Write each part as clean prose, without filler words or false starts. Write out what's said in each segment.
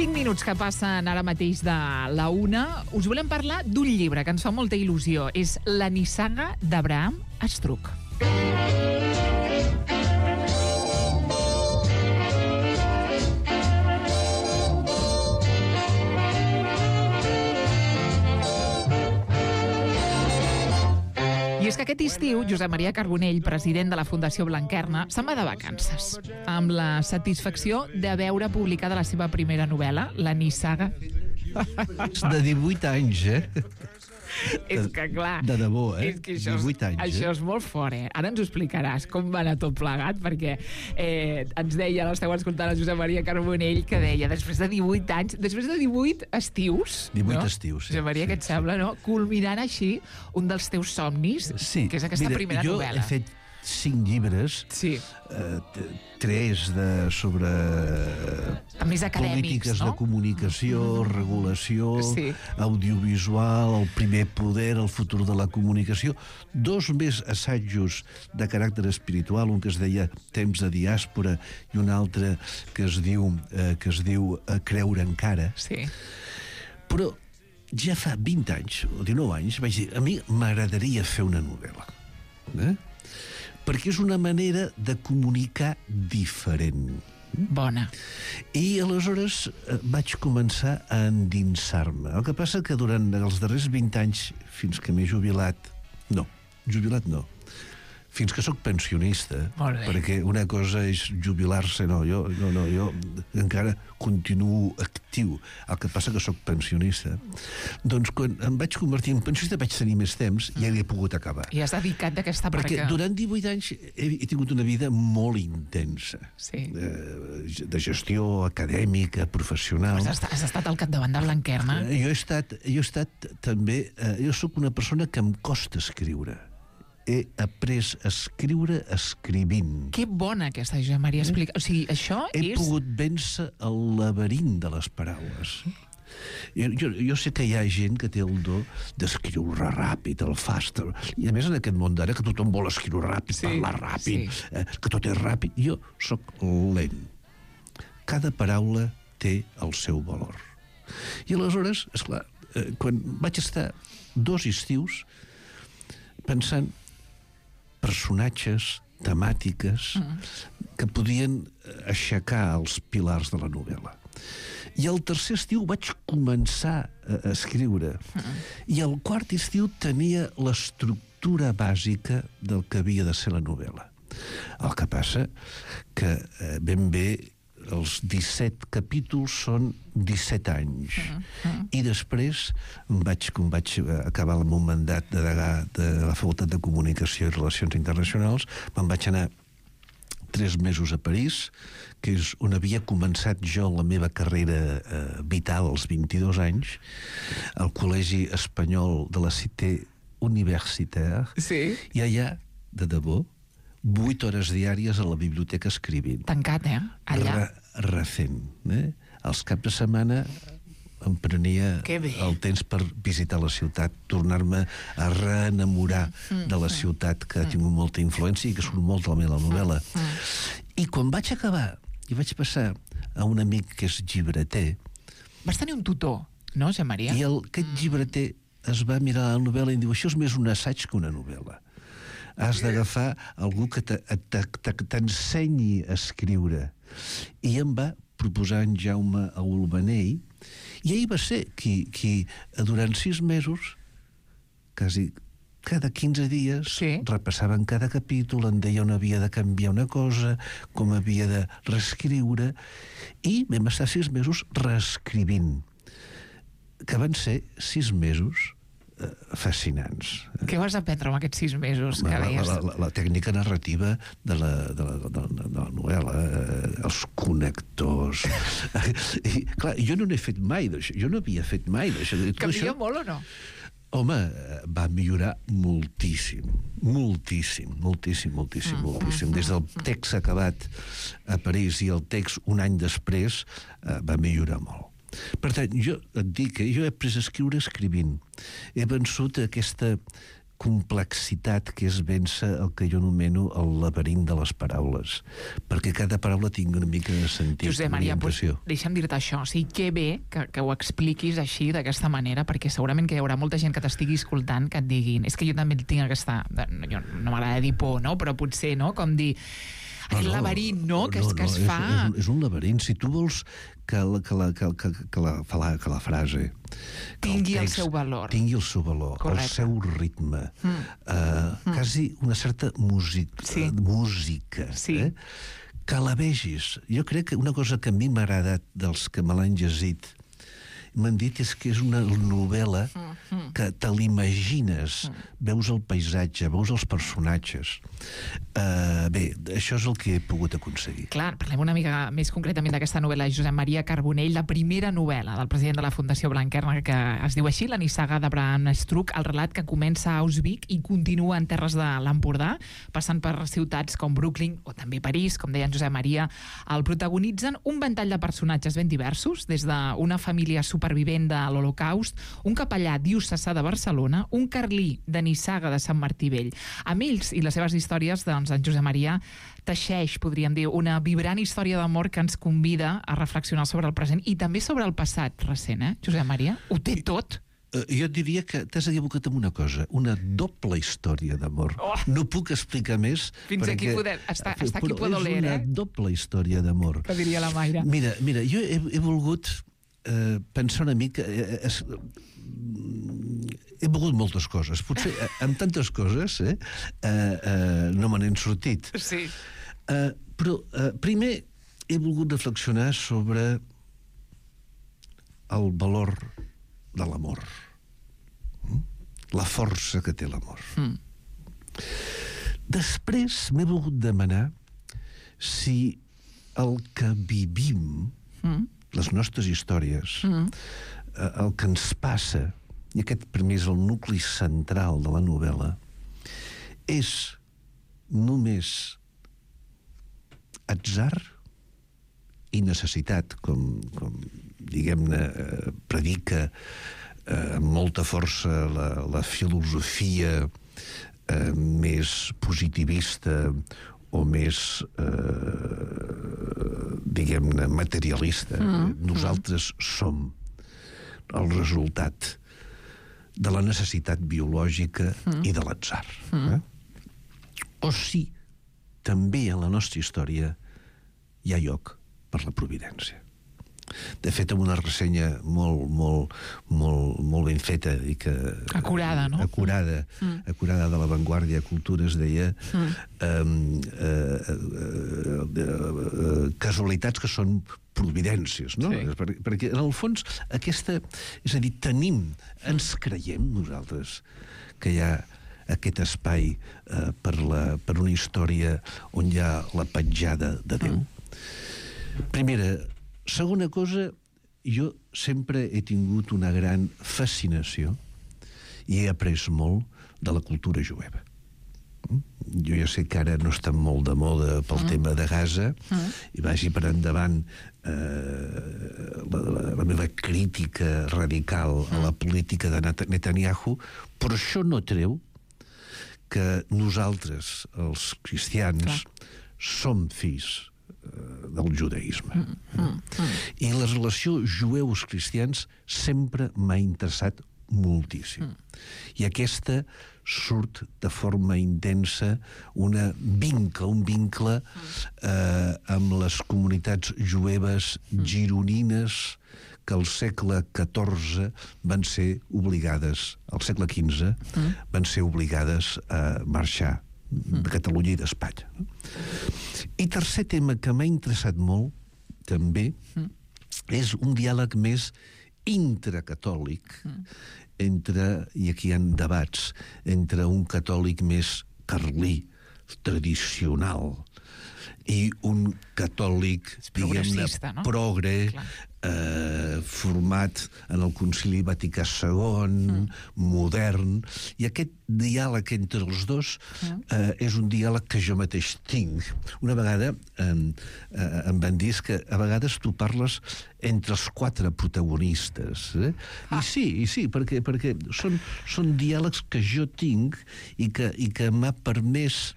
5 minuts que passen ara mateix de la 1. Us volem parlar d'un llibre que ens fa molta il·lusió. És La nissaga d'Abraham Estruc. I és que aquest estiu, Josep Maria Carbonell, president de la Fundació Blanquerna, se'n va de vacances, amb la satisfacció de veure publicada la seva primera novel·la, La nissaga. De 18 anys, És que, clar... De debò, És que això 18 anys, això és molt fort, Ara ens ho explicaràs, com va anar tot plegat, perquè ens deia, l'esteu escoltant el Josep Maria Carbonell, que deia, després de 18 anys, després de 18 estius... 18 estius, sí. Josep Maria, què et sembla, no? Culminant així un dels teus somnis, sí. Que és aquesta primera novel·la. Jo he fet 5 llibres, sí. 3 sobre més acadèmics, polítiques, no? De comunicació, regulació, sí. Audiovisual, el primer poder, el futur de la comunicació, 2 més assajos de caràcter espiritual, un que es deia Temps de diàspora i un altre que es diu Creure encara. Sí. Però ja fa 20 anys o 19 anys vaig dir, a mi m'agradaria fer una novel·la, perquè és una manera de comunicar diferent. Bona. I aleshores vaig començar a endinsar-me. El que passa que durant els darrers 20 anys, fins que m'he jubilat no, fins que sóc pensionista, perquè una cosa és jubilar-se, jo encara continuo actiu, el que passa que sóc pensionista. Doncs quan em vaig convertir en pensionista vaig tenir més temps i ja l'he pogut acabar. I has dedicat d'aquesta perquè durant 18 anys he tingut una vida molt intensa, sí. De gestió acadèmica, professional. Has estat al capdavant de Blanquerna? Jo he estat també, jo sóc una persona que em costa escriure. He après a escriure escrivint. Que bona aquesta, Josep Maria, explica. O sigui, això He pogut vèncer el laberint de les paraules. Jo sé que hi ha gent que té el do d'escriure ràpid, el fast, i a més en aquest món d'ara que tothom vol escriure ràpid, parlar ràpid, que tot és ràpid. Jo sóc lent. Cada paraula té el seu valor. I aleshores, esclar, quan vaig estar 2 estius pensant personatges, temàtiques que podien aixecar els pilars de la novel·la. I el tercer estiu vaig començar a escriure. I el quart estiu tenia l'estructura bàsica del que havia de ser la novel·la. El que passa que ben bé els 17 capítols són 17 anys. I després, com vaig acabar el meu mandat de degà de la Facultat de Comunicació i Relacions Internacionals, me'n vaig anar 3 mesos a París, que és on havia començat jo la meva carrera vital als 22 anys, al Col·legi Espanyol de la Cité Universitaire, i allà, de debò, 8 hores diàries a la biblioteca escrivint. Tancat, allà? Recent. Els caps de setmana em prenia el temps per visitar la ciutat, tornar-me a reenamorar de la ciutat que ha tingut molta influència i que surt molt de la meva novel·la. I quan vaig acabar i vaig passar a un amic que és llibreter... Vas tenir un tutor, no, Josep Maria? I aquest llibreter es va mirar la novel·la i diu, això és més un assaig que una novel·la. Has d'agafar algú que t'ensenyi a escriure. I em va proposar en Jaume Aulbanell, i ell va ser qui durant 6 mesos, quasi cada 15 dies, repassaven cada capítol, em deia on havia de canviar una cosa, com havia de reescriure, i vam estar 6 mesos reescrivint, que van ser 6 mesos fascinants. Què vas aprendre amb aquests 6 mesos que deies? La tècnica narrativa de la novel·la, els connectors... I, clar, jo no n'he fet mai d'això, jo no havia fet mai d'això. Canvia molt o no? Home, va millorar moltíssim. Des del text acabat a París i el text un any després va millorar molt. Per tant, jo et dic que jo he après a escriure escrivint. He vençut aquesta complexitat que és vèncer el que jo anomeno el laberint de les paraules, perquè cada paraula tingui una mica de sentit. Josep Maria, deixa'm dir-te això. O sigui, que bé que ho expliquis així, d'aquesta manera, perquè segurament que hi haurà molta gent que t'estigui escoltant que et diguin, és que jo també tinc aquesta... Jo no m'agrada dir por, no? Però potser, no? Com dir... Aquest laberint, no? Que es fa... És un laberint. Si tu vols que la frase... Tingui el seu valor. Tingui el seu valor, el seu ritme, quasi una certa música, que la vegis. Jo crec que una cosa que a mi m'ha agradat dels que me l'han llegit m'han dit és que és una novel·la que te l'imagines, veus el paisatge, veus els personatges. Bé, això és el que he pogut aconseguir. Clar, parlem una mica més concretament d'aquesta novel·la de Josep Maria Carbonell, la primera novel·la del president de la Fundació Blanquerna, que es diu així, La nissaga d'Abraham Struck, el relat que comença a Auschwitz i continua en terres de l'Empordà, passant per ciutats com Brooklyn o també París, com deia en Josep Maria. El protagonitzen un ventall de personatges ben diversos, des d'una família supervivent de l'Holocaust, un capellà diocesà de Barcelona, un carlí de Nissaga de Sant Martí Vell. Amb ells i les seves històries, doncs, en Josep Maria teixeix, podríem dir, una vibrant història d'amor que ens convida a reflexionar sobre el present i també sobre el passat recent, Josep Maria? Ho té tot? Jo diria que t'has equivocat amb una cosa, una doble història d'amor. No puc explicar més. Fins aquí podem... Hasta aquí puedo leer, Però és una doble història d'amor. Que diria la Mayra. Mira, jo he volgut pensar una mica... He volgut moltes coses. Potser amb tantes coses no me n'he sortit. Sí. Però primer he volgut reflexionar sobre el valor de l'amor. La força que té l'amor. Després m'he volgut demanar si el que vivim, les nostres històries, el que ens passa, i aquest primer és el nucli central de la novel·la, és només atzar i necessitat, com diguem-ne, predica amb molta força la filosofia més positivista o més, diguem-ne, materialista. Nosaltres som el resultat de la necessitat biològica i de l'atzar. O si també en la nostra història hi ha lloc per la providència. De fet, amb una ressenya molt ben feta i que... Acurada, no? Acurada de La Vanguardia Cultura, es deia casualitats que són providències, no? Sí. Perquè, en el fons, aquesta... És a dir, ens creiem nosaltres que hi ha aquest espai per una història on hi ha la petjada de Déu. Primera. Segona cosa, jo sempre he tingut una gran fascinació i he après molt de la cultura jueva. Jo ja sé que ara no està molt de moda pel tema de Gaza i vagi per endavant la meva crítica radical a la política de Netanyahu, però això no treu que nosaltres, els cristians, som fills del judaïsme. I la relació jueus-cristians sempre m'ha interessat moltíssim. I aquesta surt de forma intensa un vincle amb les comunitats jueves gironines que al segle XIV van ser obligades, al segle XV, van ser obligades a marxar de Catalunya i d'Espanya. I tercer tema que m'ha interessat molt, també, és un diàleg més intracatòlic entre, i aquí hi ha debats, entre un catòlic més carlí, tradicional, i un catòlic, diguem-ne, no? progre, format en el Concili Vaticà II, modern, i aquest diàleg entre els dos és un diàleg que jo mateix tinc. Una vegada em van dir que a vegades tu parles entre els 4 protagonistes. I sí, perquè són diàlegs que jo tinc i que m'ha permès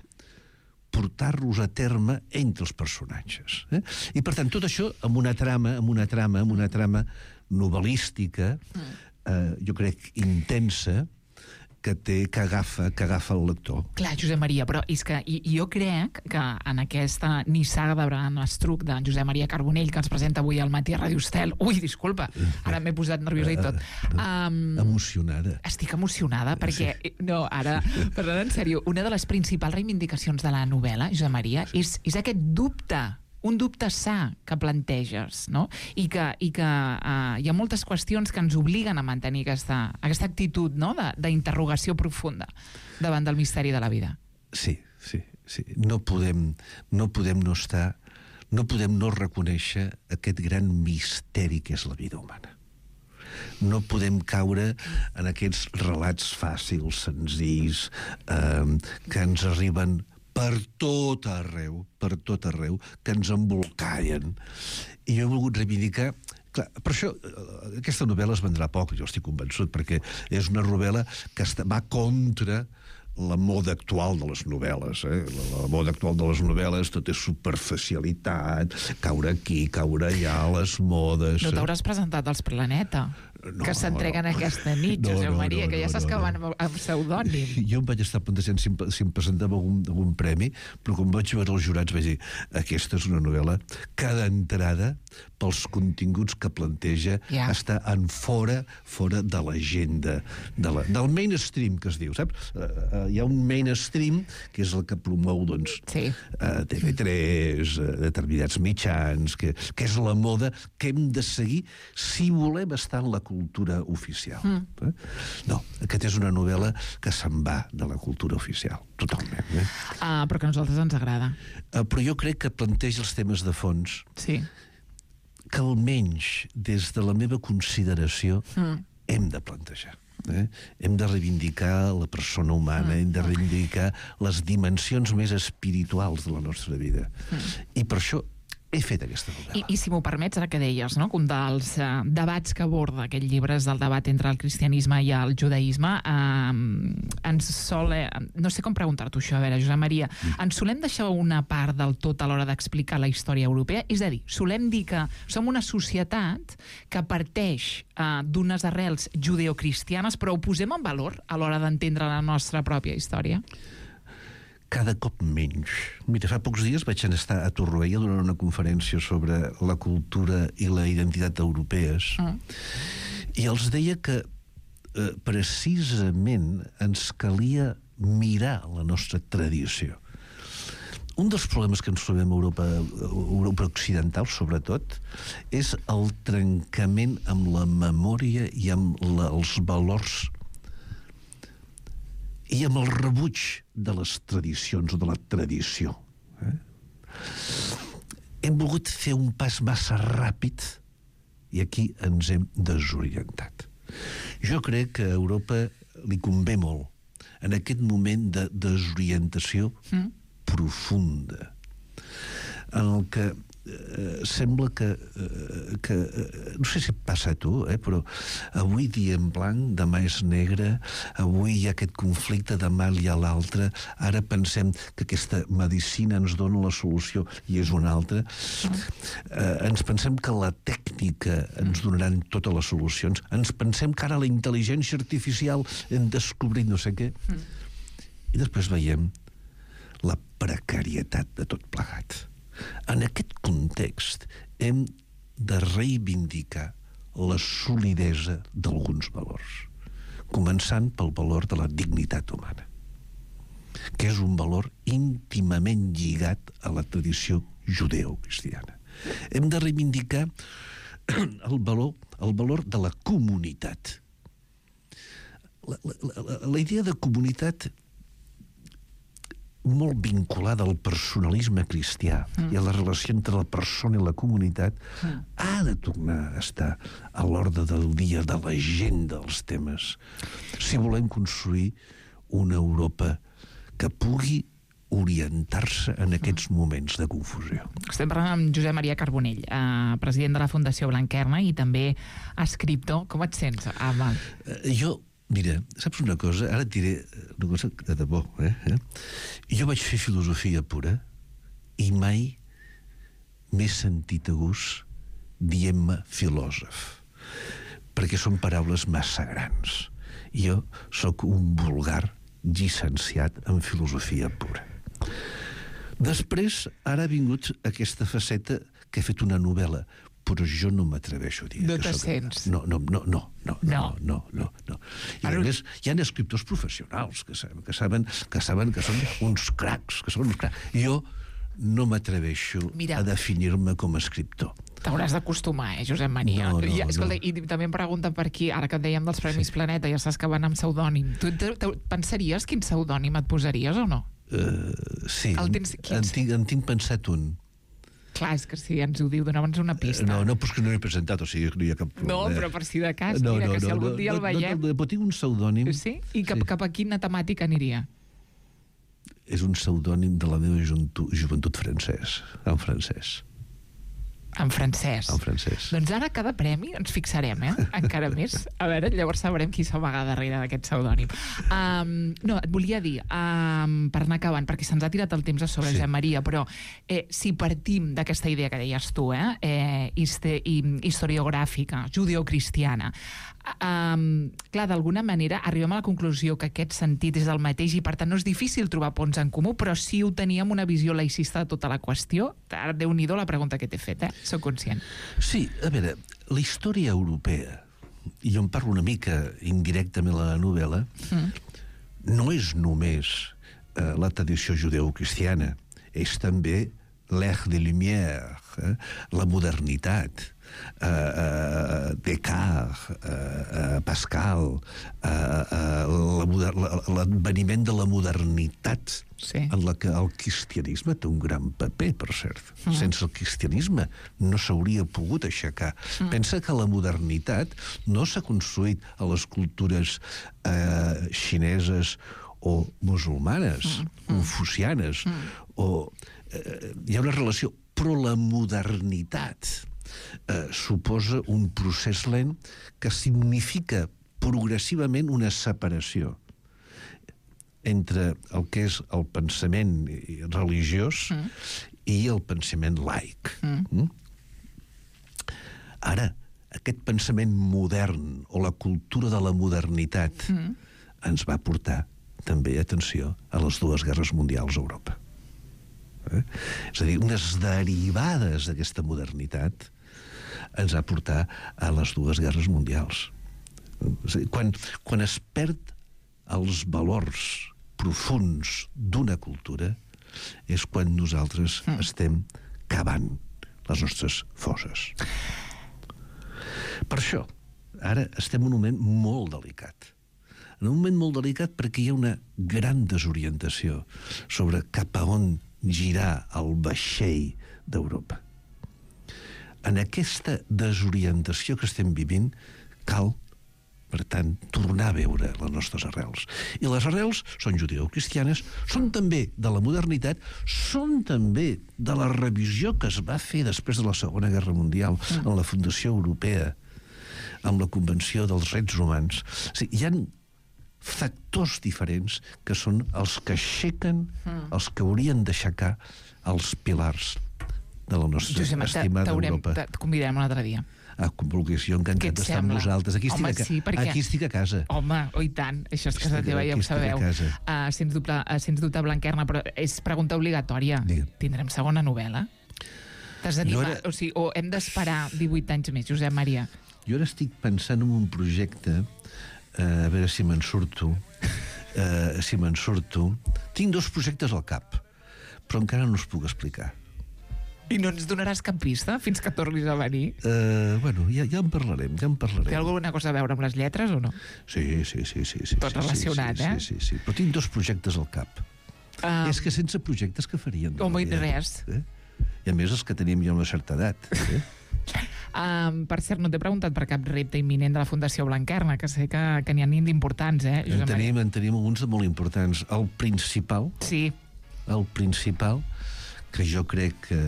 portar-los a terme entre els personatges. I, per tant, tot això amb una trama novel·lística, jo crec, intensa, que agafa el lector. Clar, Josep Maria, però és que jo crec que en aquesta nissaga de Bram Estruc de Josep Maria Carbonell que ens presenta avui al matí a Ràdio Estel... Ui, disculpa, ara m'he posat nerviosa i tot. Emocionada. Estic emocionada perquè... Sí. No, ara, parlant en sèrio, una de les principals reivindicacions de la novel·la, Josep Maria, és aquest dubte, un dubte sa que planteges, no? I que hi ha moltes qüestions que ens obliguen a mantenir aquesta actitud, no?, d'interrogació profunda davant del misteri de la vida. Sí. No podem no reconèixer aquest gran misteri que és la vida humana. No podem caure en aquests relats fàcils, senzills, que ens arriben per tot arreu, que ens embolcallen. I jo he volgut reivindicar... Clar, per això, aquesta novel·la es vendrà poc, jo estic convençut, perquè és una novel·la que va contra la moda actual de les novel·les. La moda actual de les novel·les, tot és superficialitat, caure aquí, caure allà, les modes... No t'hauràs presentat als Planeta, que s'entreguen aquesta nit, Josep Maria, que ja saps que van amb pseudònim. Jo em vaig estar plantejant si em presentava algun premi, però quan vaig veure els jurats vaig dir, aquesta és una novel·la que d'entrada, pels continguts que planteja, està en fora de l'agenda, del mainstream, que es diu, saps? Hi ha un mainstream, que és el que promou, doncs, TV3, determinats mitjans, que és la moda que hem de seguir si volem estar en la cultura oficial. No, aquesta és una novel·la que se'n va de la cultura oficial, totalment. Però que a nosaltres ens agrada. Però jo crec que planteja els temes de fons que almenys des de la meva consideració hem de plantejar. Hem de reivindicar la persona humana, hem de reivindicar les dimensions més espirituals de la nostra vida. I per això he fet aquesta novel·la. I si m'ho permets, ara que deies, no?, que un dels debats que aborda aquest llibre és el debat entre el cristianisme i el judaïsme. No sé com preguntar-t'ho això, a veure, Josep Maria, ens solem deixar una part del tot a l'hora d'explicar la història europea? És a dir, solem dir que som una societat que parteix d'unes arrels judeocristianes, però ho posem en valor a l'hora d'entendre la nostra pròpia història? Cada cop menys. Mira, fa pocs dies vaig estar a Torroella donant una conferència sobre la cultura i la identitat europees i els deia que precisament ens calia mirar la nostra tradició. Un dels problemes que ens trobem a Europa occidental, sobretot, és el trencament amb la memòria i amb els valors i amb el rebuig de les tradicions o de la tradició. Hem volgut fer un pas massa ràpid i aquí ens hem desorientat. Jo crec que a Europa li convé molt en aquest moment de desorientació profunda, en el que sembla que no sé si passa a tu, però avui dia en blanc, demà és negre, avui hi ha aquest conflicte, demà hi ha l'altre, ara pensem que aquesta medicina ens dona la solució i és una altra. Ens pensem que la tècnica ens donaran totes les solucions, ens pensem que ara la intel·ligència artificial hem descobrit no sé què, i després veiem la precarietat de tot plegat. En aquest context hem de reivindicar la solidesa d'alguns valors, començant pel valor de la dignitat humana, que és un valor íntimament lligat a la tradició judeocristiana. Hem de reivindicar el valor de la comunitat. La idea de comunitat molt vinculada al personalisme cristià i a la relació entre la persona i la comunitat, ha de tornar a estar a l'ordre del dia de l'agenda dels temes, si volem construir una Europa que pugui orientar-se en aquests moments de confusió. Estem parlant amb Josep Maria Carbonell, president de la Fundació Blanquerna i també escriptor. Com et sents, Amal? Jo, mira, saps una cosa? Ara et diré una cosa de debò. Jo vaig fer filosofia pura i mai m'he sentit a gust dient-me filòsof, perquè són paraules massa grans. Jo sóc un vulgar llicenciat en filosofia pura. Després, ara ha vingut aquesta faceta que he fet una novel·la, però jo no m'atreveixo a dir. No te sents? No. I a més, hi ha escriptors professionals que saben que són uns cracs, Jo no m'atreveixo a definir-me com a escriptor. T'hauràs d'acostumar, Josep Maria. Escolta, i també em pregunten per aquí, ara que et dèiem dels Premis Planeta, ja saps que van amb pseudònim. Tu pensaries quin pseudònim et posaries o no? Sí, en tinc pensat un. Clar, és que si ens ho diu, dona'ns una pista. No, però és que no l'he presentat, o sigui que no hi ha cap problema. No, però per si de cas, mira, que si algun dia el veiem... Però tinc un pseudònim... Sí? I cap a quina temàtica aniria? És un pseudònim de la meva joventut francès, en francès. En francès. En francès. Doncs ara cada premi ens fixarem, encara més. A veure, llavors sabrem qui s'amaga darrere d'aquest pseudònim. No, et volia dir, per anar acabant, perquè se'ns ha tirat el temps a sobre, Josep Maria, però si partim d'aquesta idea que deies tu, historiogràfica, judeocristiana, clar, d'alguna manera arribem a la conclusió que aquest sentit és el mateix i per tant no és difícil trobar ponts en comú, però sí ho teníem una visió laicista de tota la qüestió. Ara, Déu-n'hi-do la pregunta que t'he fet, soc conscient. Sí, a veure, la història europea, i jo en parlo una mica indirectament a la novel·la, no és només la tradició judeocristiana, és també l'ère des Lumières, la modernitat, Descartes, Pascal, l'adveniment de la modernitat en la que el cristianisme té un gran paper, per cert. Sense el cristianisme no s'hauria pogut aixecar. Pensa que la modernitat no s'ha construït a les cultures xineses o musulmanes, confucianes, hi ha una relació, però la modernitat suposa un procés lent que significa progressivament una separació entre el que és el pensament religiós i el pensament laic. Ara, aquest pensament modern o la cultura de la modernitat ens va portar també, atenció, a les dues guerres mundials a Europa. És a dir, unes derivades d'aquesta modernitat ens va portar a les dues guerres mundials. Quan es perd els valors profuns d'una cultura és quan nosaltres estem cavant les nostres fosses. Per això, ara estem en un moment molt delicat. En un moment molt delicat perquè hi ha una gran desorientació sobre cap a on girar el vaixell d'Europa. En aquesta desorientació que estem vivint cal, per tant, tornar a veure les nostres arrels. I les arrels són judeocristianes, són també de la modernitat, són també de la revisió que es va fer després de la Segona Guerra Mundial en la Fundació Europea, amb la Convenció dels Drets Humans. O sigui, hi ha factors diferents que són els que aixequen, els que haurien d'aixecar els pilars de la nostra estimada Europa. Et convidarem un altre dia. Jo encantat d'estar amb vosaltres. Aquí estic a casa. Home, i tant. Això és casa teva, ja ho sabeu. Sens dubte, Blanquerna, però és pregunta obligatòria. Tindrem segona novel·la? T'has d'animar? O hem d'esperar 18 anys més, Josep Maria? Jo ara estic pensant en un projecte, a veure si me'n surto. Tinc dos projectes al cap, però encara no us puc explicar. I no ens donaràs cap pista fins que tornis a venir? Bueno, ja en parlarem. Té alguna cosa a veure amb les lletres o no? Sí. Tot relacionat, Sí. Però tinc dos projectes al cap. És que sense projectes que farien? Home, res. I a més els que tenim ja una certa edat. Per cert, no t'he preguntat per cap repte imminent de la Fundació Blanquerna, que sé que n'hi ha d'importants, En tenim alguns de molt importants. El principal, que jo crec que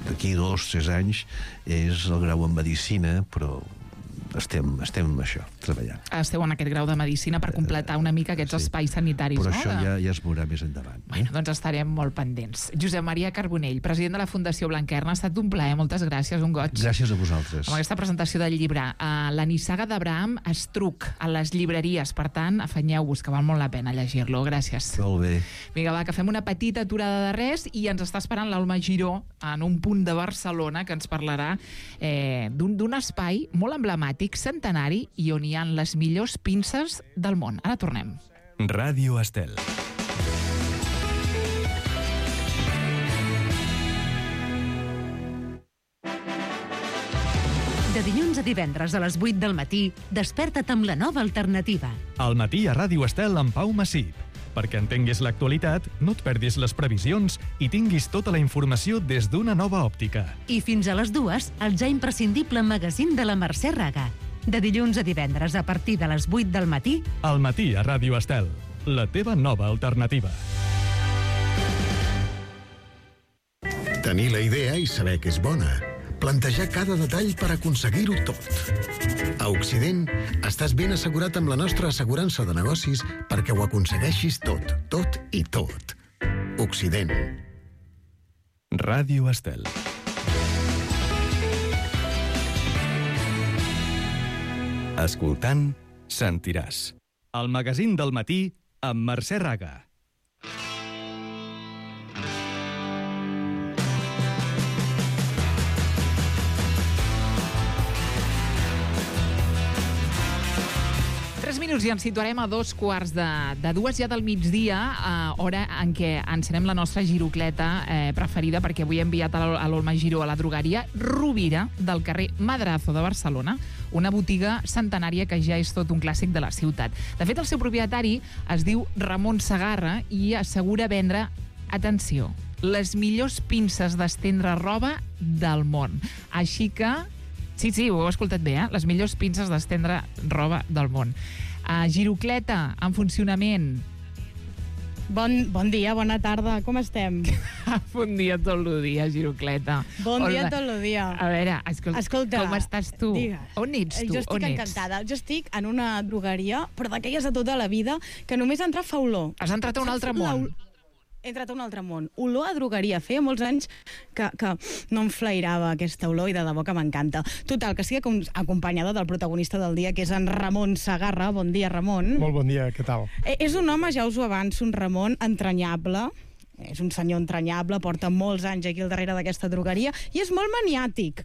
d'aquí 2 o 3 anys és el grau en Medicina, però estem amb això, treballant. Esteu en aquest grau de Medicina per completar una mica aquests espais sanitaris, però no? Però això ja es veurà més endavant. Bueno, doncs estarem molt pendents. Josep Maria Carbonell, president de la Fundació Blanquerna, ha estat un plaer, moltes gràcies, un goig. Gràcies a vosaltres. Amb aquesta presentació del llibre. La nissaga d'Abraham Estruc, a les llibreries, per tant, afanyeu-vos, que val molt la pena llegir-lo. Gràcies. Molt bé. Vinga, va, que fem una petita aturada de res i ens està esperant l'Alma Giró en un punt de Barcelona que ens parlarà d'un espai molt emblemàtic, centenari, i on hi ha les millors pinces del món. Ara tornem. Ràdio Estel. De dilluns a divendres a les 8 del matí, desperta't amb la nova alternativa. Al matí a Ràdio Estel amb Pau Massip. Perquè entenguis l'actualitat, no et perdis les previsions i tinguis tota la informació des d'una nova òptica. I fins a les 2, el ja imprescindible magazín de la Mercè Raga. De dilluns a divendres a partir de les 8 del matí. Al matí a Ràdio Estel, la teva nova alternativa. Tenir la idea i saber que és bona. Plantejar cada detall per aconseguir-ho tot. A Occident, estàs ben assegurat amb la nostra assegurança de negocis perquè ho aconsegueixis tot, tot i tot. Occident. Ràdio Estel. Escoltant, sentiràs. El magazín del matí amb Mercè Raga. I ens situarem a 2:15 ja del migdia, hora en què encenem la nostra girocleta preferida, perquè avui he enviat a l'Olma Giró a la drogueria Rovira del carrer Madrazo de Barcelona, una botiga centenària que ja és tot un clàssic de la ciutat. De fet, el seu propietari es diu Ramon Segarra i assegura vendre, atenció, les millors pinces d'estendre roba del món. Així que, sí, ho heu escoltat bé, les millors pinces d'estendre roba del món. Girocleta, en funcionament. Bon dia, bona tarda, com estem? Bon dia tot el dia, Girocleta. Bon dia tot el dia. A veure, escolta, com estàs tu? Digues. On ets tu? Jo estic encantada. Jo estic en una drogueria, però d'aquelles de tota la vida, que només entrar fa olor. Has entrat a un altre món. He entrat a un altre món. Olor a drogueria. Feia molts anys que no em flairava aquesta olor i de debò que m'encanta. Total, que estic acompanyada del protagonista del dia, que és en Ramon Segarra. Bon dia, Ramon. Molt bon dia, què tal? És un home, ja us ho avanço, un Ramon entranyable. És un senyor entranyable, porta molts anys aquí al darrere d'aquesta drogueria i és molt maniàtic.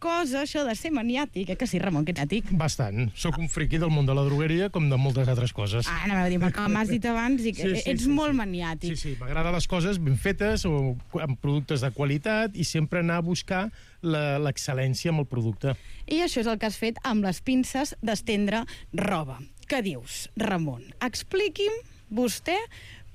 Cosa, això de ser maniàtic. Que sí, Ramon, que maniàtic? Bastant. Soc un friqui del món de la drogueria, com de moltes altres coses. Anava a dir, perquè m'has dit abans i que ets molt maniàtic. Sí, m'agraden les coses ben fetes o amb productes de qualitat i sempre anar a buscar l'excel·lència amb el producte. I això és el que has fet amb les pinces d'estendre roba. Què dius, Ramon? Expliqui'm, vostè,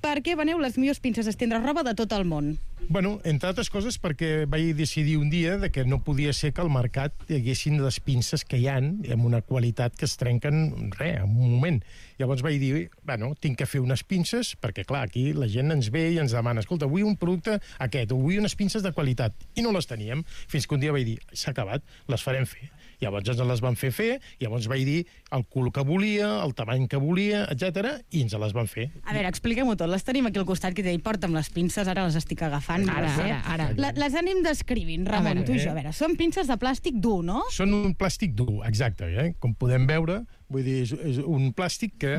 per què veneu les millors pinces d'estendre roba de tot el món? Bueno, entre altres coses perquè vaig decidir un dia que no podia ser que al mercat hi haguessin les pinces que hi ha amb una qualitat que es trenquen en un moment. Llavors vaig dir, bueno, tinc que fer unes pinces, perquè clar, aquí la gent ens ve i ens demana, escolta, vull un producte aquest, o vull unes pinces de qualitat, i no les teníem, fins que un dia vaig dir, s'ha acabat, les farem fer. Llavors ens les van fer, llavors vaig dir el color que volia, el tamany que volia, etc i ens les van fer. A veure, expliquem-ho tot. Les tenim aquí al costat, que porta'm les pinces, ara les estic agafant. Ara. Les anem descrivint, Ramon, tu i jo. A veure, són pinces de plàstic dur, no? Són un plàstic dur, exacte. Com podem veure, vull dir, és un plàstic que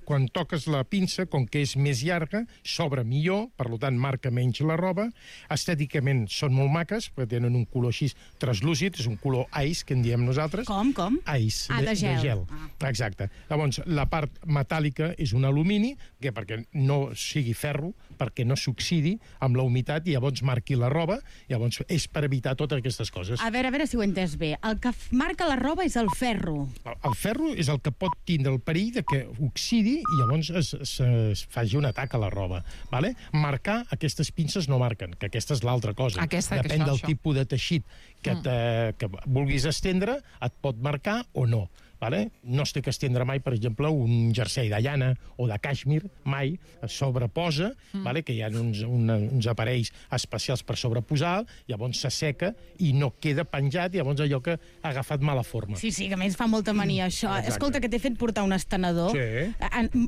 quan toques la pinça, com que és més llarga, s'obre millor, per tant marca menys la roba. Estèticament són molt maques, perquè tenen un color així translúcid, és un color ice, que en diem nosaltres. Com? Ice, de gel. Exacte. Llavors, la part metàl·lica és un alumini, perquè no sigui ferro, perquè no s'oxidi amb la humitat i llavors marqui la roba, llavors és per evitar totes aquestes coses. A veure si ho he entès bé. El que marca la roba és el ferro. El ferro ferro és el que pot tindre el perill de que oxidi i llavors es faci un atac a la roba. Vale? Marcar, aquestes pinces no marquen, que aquesta és l'altra cosa. Depèn del tipus de teixit que vulguis estendre, et pot marcar o no. Vale? No es té que estendre mai, per exemple, un jersei de llana o de càixmir, mai, es sobreposa, vale? Que hi ha uns aparells especials per sobreposar, llavors s'asseca i no queda penjat, llavors allò que ha agafat mala forma. Sí, que a més fa molta mania això. Exacte. Escolta, que t'he fet portar un estenedor. Sí.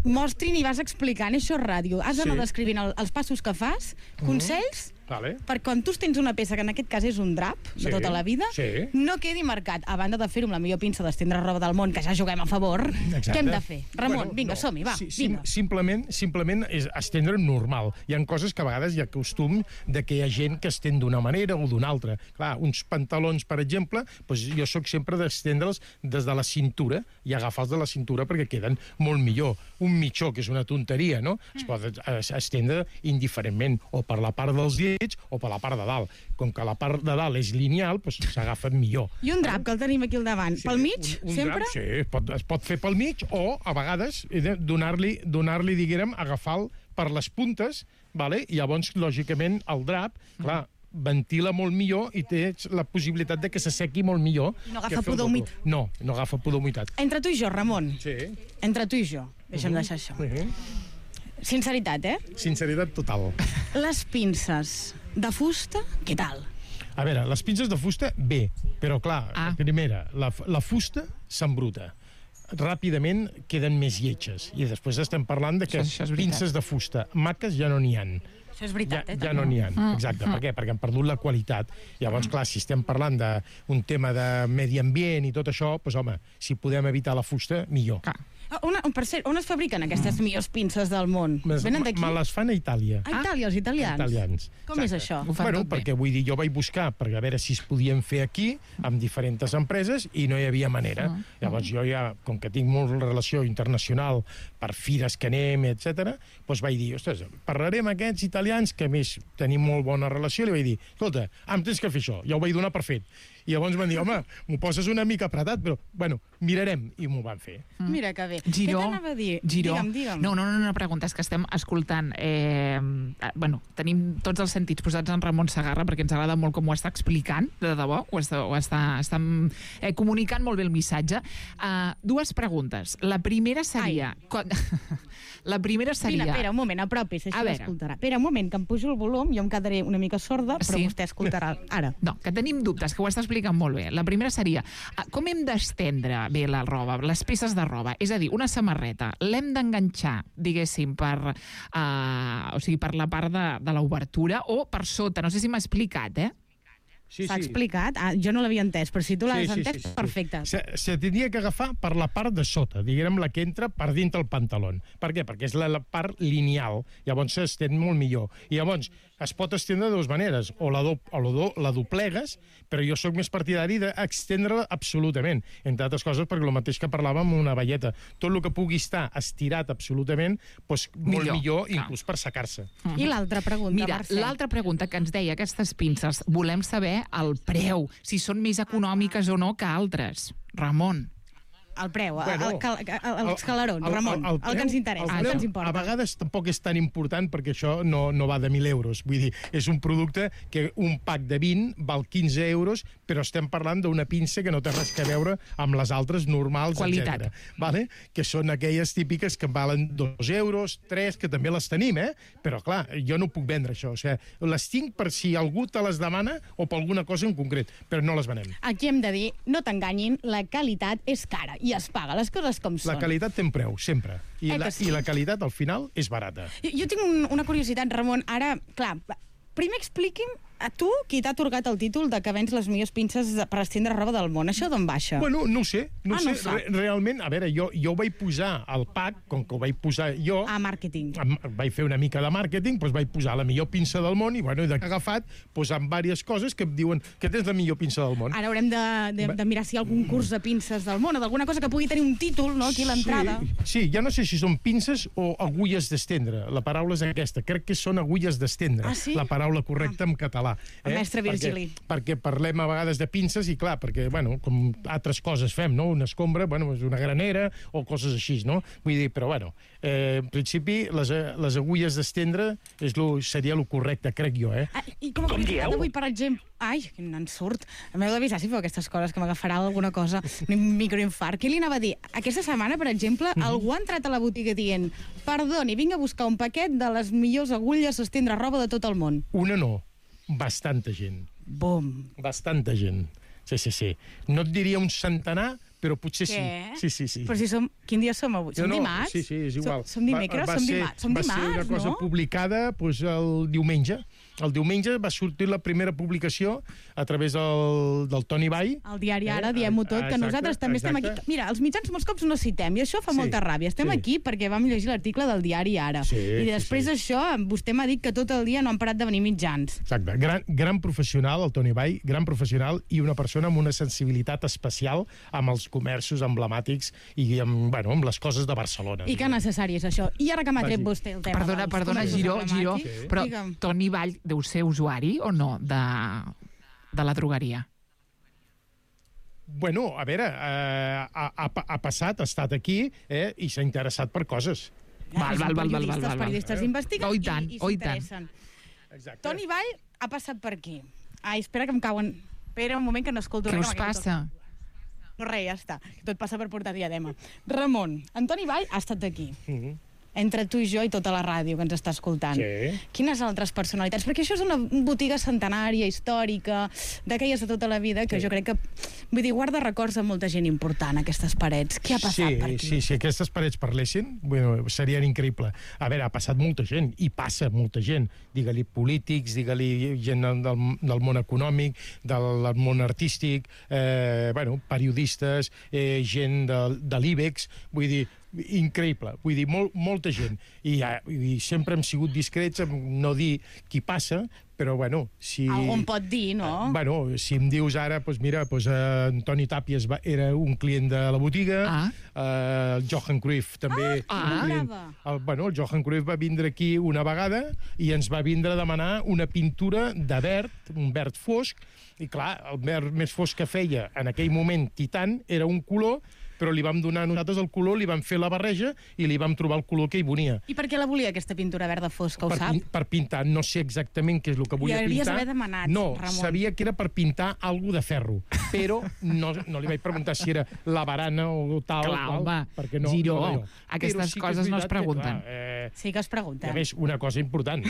Mostrin i vas explicant, això és ràdio. Has d'anar descrivint els passos que fas, consells, Vale. per quan tu tens una peça que en aquest cas és un drap de tota la vida, no quedi marcat. A banda de fer-ho amb la millor pinça d'estendre roba del món, que ja juguem a favor, què hem de fer? Ramon, vinga, som-hi, va, vinga. Simplement és estendre normal. Hi ha coses que a vegades hi ha costum de que hi ha gent que estén d'una manera o d'una altra. Clar, uns pantalons, per exemple, doncs jo sóc sempre d'estendre'ls des de la cintura i agafar-los de la cintura perquè queden molt millor. Un mitjó, que és una tonteria, no? Es pot estendre indiferentment, o per la part dels dits o per la part de dalt. Com que la part de dalt és lineal, doncs s'agafa millor. I un drap, que el tenim aquí al davant. Pel mig, sempre? Sí, es pot fer pel mig o, a vegades, donar-li, diguem, agafar-lo per les puntes, vale? I llavors, lògicament, el drap, clar, ventila molt millor i té la possibilitat de que s'assequi molt millor. No agafa pudor humit. No agafa pudor humitat. Entre tu i jo, Ramon. Sí. Entre tu i jo. Deixa'm deixar això. Sinceritat, Sinceritat total. Les pinces de fusta, què tal? A veure, les pinces de fusta, bé, però clar, primera, la fusta s'embruta. Ràpidament queden més lletges. I després estem parlant de que pinces de fusta maques ja no n'hi ha. Això és veritat, ja no n'hi ha. Exacte. Per què? Perquè han perdut la qualitat. Llavors, clar, si estem parlant d'un tema de medi ambient i tot això, doncs, home, si podem evitar la fusta, millor. Per cert, on es fabriquen aquestes millors pinces del món? Venen d'aquí? Me les fan a Itàlia. A Itàlia, els italians? Com és això? Bueno, perquè vull dir, jo vaig buscar per a veure si es podien fer aquí, amb diferents empreses, i no hi havia manera. Llavors jo ja, com que tinc molt relació internacional per fires que anem, etc., doncs vaig dir, ostres, parlaré amb aquests italians, que a més tenim molt bona relació, i li vaig dir, escolta, em tens que fer això. Ja ho vaig donar per fet. I llavors van dir, home, m'ho poses una mica apretat, però, bueno, mirarem, i m'ho van fer. Mira que bé. Giró, què t'anava a dir? Digue'm. No, una pregunta, és que estem escoltant. Tenim tots els sentits posats en Ramon Segarra, perquè ens agrada molt com ho està explicant, de debò, ho està comunicant molt bé el missatge. Dues preguntes. La primera seria... Espera, un moment, apropis, així l'escoltarà. Espera, un moment, que em pujo el volum, jo em quedaré una mica sorda, però vostè escoltarà ara. No, que tenim dubtes, que ho està explicant molt bé. La primera seria, com hem d'estendre bé la roba, les peces de roba? És a dir, una samarreta, l'hem d'enganxar, diguéssim, per la part de l'obertura o per sota? No sé si m'ha explicat, S'ha explicat? Jo no l'havia entès, però si tu l'has entès, perfecte. Se tindria que agafar per la part de sota, diguem la que entra per dintre el pantaló. Per què? Perquè és la part lineal, llavors s'estén molt millor. I llavors es pot estendre de dues maneres, o la doblegues, però jo sóc més partidari d'estendre-la absolutament, entre altres coses perquè el mateix que parlàvem amb una velleta. Tot el que pugui estar estirat absolutament, doncs molt millor, inclús per secar-se. I l'altra pregunta, Mira, l'altra pregunta que ens deia aquestes pinces, volem saber el preu, si són més econòmiques o no que altres. Ramon. El preu, els calarons, Ramon, el que ens interessa, el que ens importa. A vegades tampoc és tan important perquè això no va de 1.000 euros. Vull dir, és un producte que un pack de 20 val 15 euros, però estem parlant d'una pinça que no té res a veure amb les altres normals, etc. Vale? Que són aquelles típiques que valen 2 euros, 3, que també les tenim, però clar, jo no puc vendre això. O sigui, les tinc per si algú te les demana o per alguna cosa en concret, però no les venem. Aquí hem de dir, no t'enganyin, la qualitat és cara i es paga, les coses com són. La qualitat té un preu, sempre. I la qualitat, al final, és barata. Jo tinc una curiositat, Ramon. Ara, clar, primer expliqui'm a tu, qui t'ha atorgat el títol de que vens les millors pinces per estendre roba del món. Això d'on baixa? Bueno, no ho sé. Realment, a veure, jo ho vaig posar al pack, com que ho vaig posar jo... A màrqueting. Vaig fer una mica de màrqueting, doncs vaig posar la millor pinça del món i, bueno, he agafat amb diverses coses que em diuen que tens la millor pinça del món. Ara haurem de mirar si hi ha algun curs de pinces del món o d'alguna cosa que pugui tenir un títol, no?, aquí a l'entrada. Sí, ja no sé si són pinces o agulles d'estendre. La paraula és aquesta. Crec que són agulles d'estendre. Ah, sí? La paraula correcta en català. català. El mestre Virgili. Perquè parlem a vegades de pinces i, clar, perquè, bueno, com altres coses fem, no? Una escombra, bueno, és una granera o coses així, no? Vull dir, però, bueno, en principi, les agulles d'estendre seria el correcte, crec jo, I com a curiositat d'avui, per exemple... Ai, quin ensurt. M'heu d'avisar si feu aquestes coses, que m'agafarà alguna cosa, un microinfart. Què li anava a dir? Aquesta setmana, per exemple, algú ha entrat a la botiga dient perdoni, vinc a buscar un paquet de les millors agulles d'estendre roba de tot el món. Una no, bastanta gent. Bum. Bastanta gent. Sí. No et diria un centenar, però potser Què? sí. Sí. Però si som... Quin dia som avui? Som dimarts? Sí, és igual. Som dimecres? Som dimarts, no? Va ser una cosa publicada el diumenge. El diumenge va sortir la primera publicació a través del Toni Vall. Al diari Ara, diem-ho tot, que nosaltres també estem aquí. Mira, els mitjans molts cops no citem, i això fa molta ràbia. Estem aquí perquè vam llegir l'article del diari Ara. I després d'això, vostè m'ha dit que tot el dia no han parat de venir mitjans. Exacte. Gran professional, el Toni Vall, gran professional i una persona amb una sensibilitat especial amb els comerços emblemàtics i amb les coses de Barcelona. I que necessari és això. I ara que m'ha tret vostè el tema... Perdona, Giró, però Toni Vall deu ser usuari o no de la drogueria? Bueno, a veure, ha passat, ha estat aquí i s'ha interessat per coses. Val. Els periodistes investiguen i s'interessen. Toni Vall ha passat per aquí. Ai, espera que em cauen... Espera un moment que no escolto res. Què us passa? No, res, ja està. Tot passa per portar diadema. Ramon, Antoni Vall ha estat aquí. Entre tu i jo i tota la ràdio que ens està escoltant. Sí. Quines altres personalitats? Perquè això és una botiga centenària, històrica, d'aquelles de tota la vida, que jo crec que, vull dir, guarda records de molta gent important, aquestes parets. Què ha passat per aquí? Sí, si aquestes parets parlessin, serien increïble. A veure, ha passat molta gent, i passa molta gent. Digue-li polítics, digue-li gent del món econòmic, del món artístic, periodistes, gent de l'IBEX, vull dir, increïble, vull dir, molta gent. I sempre hem sigut discrets en no dir qui passa, però, si... Algú em pot dir, no? Si em dius ara, Antoni Tàpies era un client de la botiga, el Johan Cruyff també... El Johan Cruyff va vindre aquí una vegada i ens va vindre a demanar una pintura de verd, un verd fosc, i clar, el verd més fosc que feia en aquell moment Titan era un color, però li vam donar a nosaltres el color, li vam fer la barreja i li vam trobar el color que hi volia. I per què la volia, aquesta pintura verda fosca, ho sap? Per pintar, no sé exactament què és el que volia pintar. Li hauries d'haver demanat, Ramon. No, sabia que era per pintar alguna de ferro, però no li vaig preguntar si era la barana o tal. Clar, home, Giró, aquestes coses no es pregunten. Sí que es pregunten. A més, una cosa important,